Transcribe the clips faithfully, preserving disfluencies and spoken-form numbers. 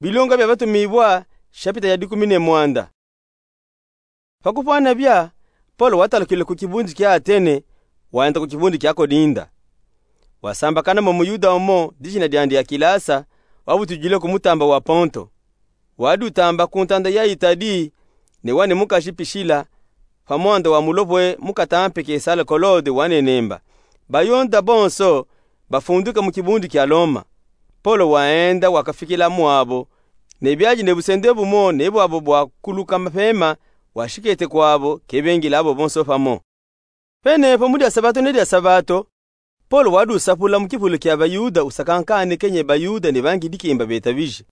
Bilonga bia Batumibua, shapita ya dikumi ne mwanda. Pa kupwana bia, Polo watalukile ku kibundi kia Atene, waenda ku kibundi kia Kolinda. Wasambakana mo Muyuda umo, dijina diandi Akilasa, wabutujile ku mutamba wa Ponto. Wadi utamba ku ntanda ya Itali, ne wani mukaji Pishila, pa mwanda wa mulopwe mukatampe Kesala Kolode wanenemba. Bayuda bonso bafunduka mu kibundi kia Loma. Polo waenda wakafikila mwabo, ne biadi ne busende bumo ne bwabo bwa kuluka mapema, washikete kwabo, kebengila abo bonso pamo. Penepo mu dia sabato ne dia sabato, Polo wadi usapula mu kipulu kia Bayuda usakankane kenye Bayuda ne bangi dikemba betabije.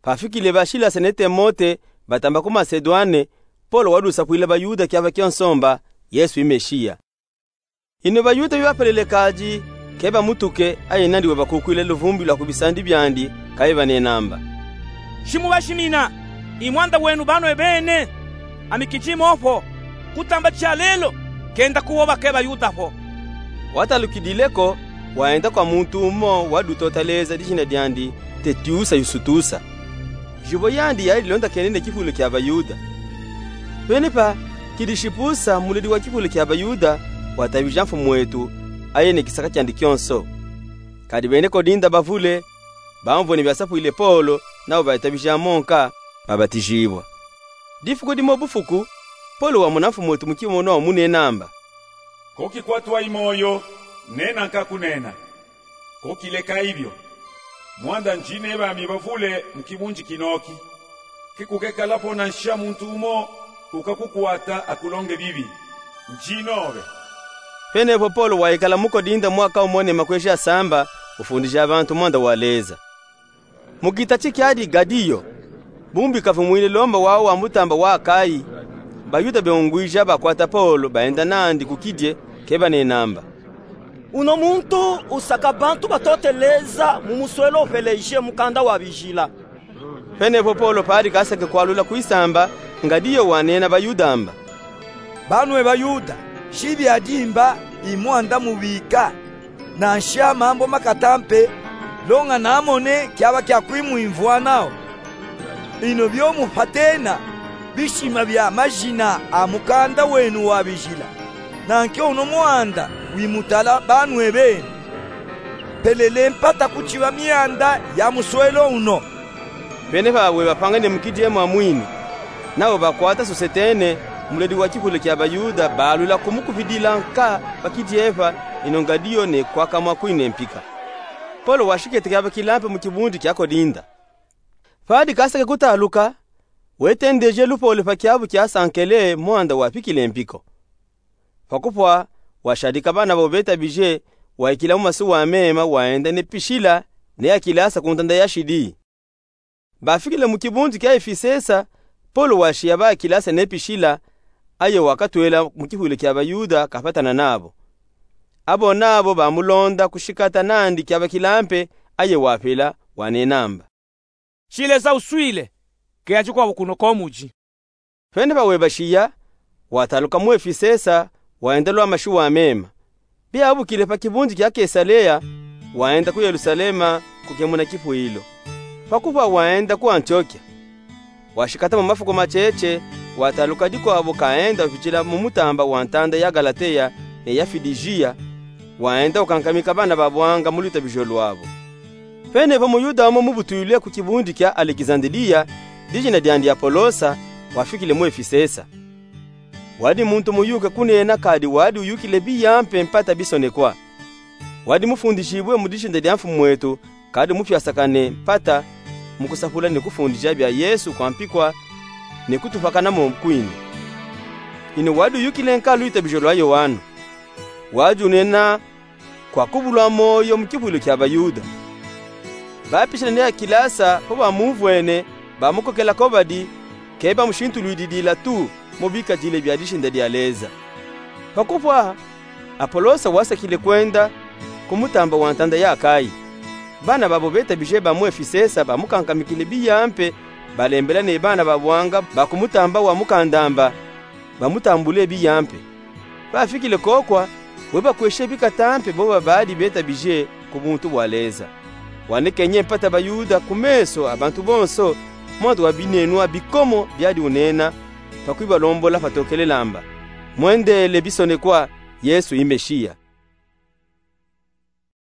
Pafikile ba Silasa ne Timote batamba ku Masedwane, Polo wadi usapwila Bayuda kiaba kionso mba Yesu i Mesiya. Ino Bayuda bibapelele kadi, kebamutuke, aye nandi webakukwile luvumbi lwa ku bisandi biandi, kayibanenamba: Shimubashimina, i mwanda wenu banwe bene, ami kidimo po, kutamba tia lelo, kenda kuwoba ke Bayuda po. Watalukidile ko, waenda kwa muntu umo wadi utota leza dijina diandi Tetiusa Yustusa. Zibo yandi yadi ilondakene ne kipulu kia Bayuda. Penepa Kilishipusa, muledi wa kipulu kia Bayuda, watabija mfumu wetu, aye ne kisaka kiandi kionso. Kadi bene Kolinda bavule, bamvwene biasapwile Polo, nabo bayitabija mo nka, babatijibwa. Difuku dimo bufuku, Polo wamona mfumu wetu mu kimonwa wamunenamba: Ko kikwatwa i moyo, nena nkakunena. Ko kileka ibio. Mwanda ndine bami bavule mu kibundi kinoki, kikukekala po nansha muntu umo ukakukwata akulonge bibi. Ndinobe. Penepo Polo waikala mu Kolinda mwaka umo ne makweji asamba, ufundija bantu mwanda wa Leza. Mu kita tikiadi Gadiyo, bumbi kavumwine Loma wau wa mutamba wa Akayi, Bayuda beungwija bakwata Polo, baenda nandi ku kidie, kebanenamba: Uno muntu usaka bantu batote Leza mu muswelo upeleje mukanda wa Bijila. Penepo Polo padi kasake kwalula kwisamba, Gadiyo wanena Bayuda amba: Banwe Bayuda, shi biadi mba i mwanda mubika, nansha mambu makatampe, longa namone kiaba kia kwimwimvwanao. Ino biomupatena bishima bia majina a mukanda wenu wa Bijila, nanke uno mwanda wimutala banwe benu. Pelele mpata kuciba mianda ya muswelo uno. Penepa webapangane mu kidie mwamwini, nabo bakwata Sosetene, muledi wa kipulu kia Bayuda, balwila kumukubidila nka pa kidie pa, ino Gadiyo ne kwakamwa kwine mpika. Polo washikete kiaba kilampe mu kibundi kia Kolinda. Padi kasake kutaluka, wetendeje lupole pa kiabu kia Sankele, mwanda wapikile mpiko. Pa kupwa, washadika bana babo betabije, waikila mu masuwa mema, waenda ne Pishila ne Akilasa ku ntanda ya shidi. Bafikile mu kibundi kia Efisesa, Polo washiya ba Akilasa ne Pishila, aye wakatwela mu kipulu kia Bayuda kapatana nabo. Abo nabo bamulonda kushikata nandi kiaba kilampe, aye wapela, wanenamba: Shi Leza uswile, keya cikwabo kuno ko mudi. Penepa webashiya, wataluka mu Efisesa, waenda lwa mashiwa mema. Biabukile pa kibundi kia Kesalea, waenda ku Yelusalema kukemuna kipwilo. Pa kupwa waenda ku Antiokia. Washikata mo mafuku macece, wataluka dikwabo kaenda upitila mu mutamba wa ntanda ya Galateya ne ya Fidijiya, waenda ukankamika bana ba bwanga mu lutabijo lwabo. Penepo Muyuda umo mubutwile ku kibundi kia Alekizandeliya, dijina diandi Apolosa, wafikile mu Efisesa. Wadi muntu muyuke kunena kadi wadi uyukile biyampe mpata bisonekwa. Wadi mufundijibwe mu dijina dia Mfumu wetu, kadi mupyasakane mpata mu kusapula ne kufundija bia Yesu kwa mpikwa ne kutupakana mo kwine. Ino wadi uyukile nka lutabijo lwa Yoane. Wadi unena kwa kubulwa moyo mu kipwilo kia Bayuda. Ba Pishila ne Akilasa po bamumvwene, bamukokela ko badi, ke bamushintulwididila tu mu bikadile bia dijina dia Leza. Pa kupwa, Apolosa wasekile kwenda ku mutamba wa ntanda ya Akayi. Bana babo betabije ba mu Efisesa bamukankamikile biyampe, balembela ne bana ba bwanga ba ku mutamba wa mukandamba, bamutambule biyampe. Pafikile kokwa, webakweshe bikatampe boba badi betabije ku buntu bwa Leza. Wanekenye mpata Bayuda ku meeso a bantu bonso mwandu wa binenwa bikomo biadi unena, pa kwibalombola patokele lamba. Mwendele bisonekwa, Yesu i Meshiya.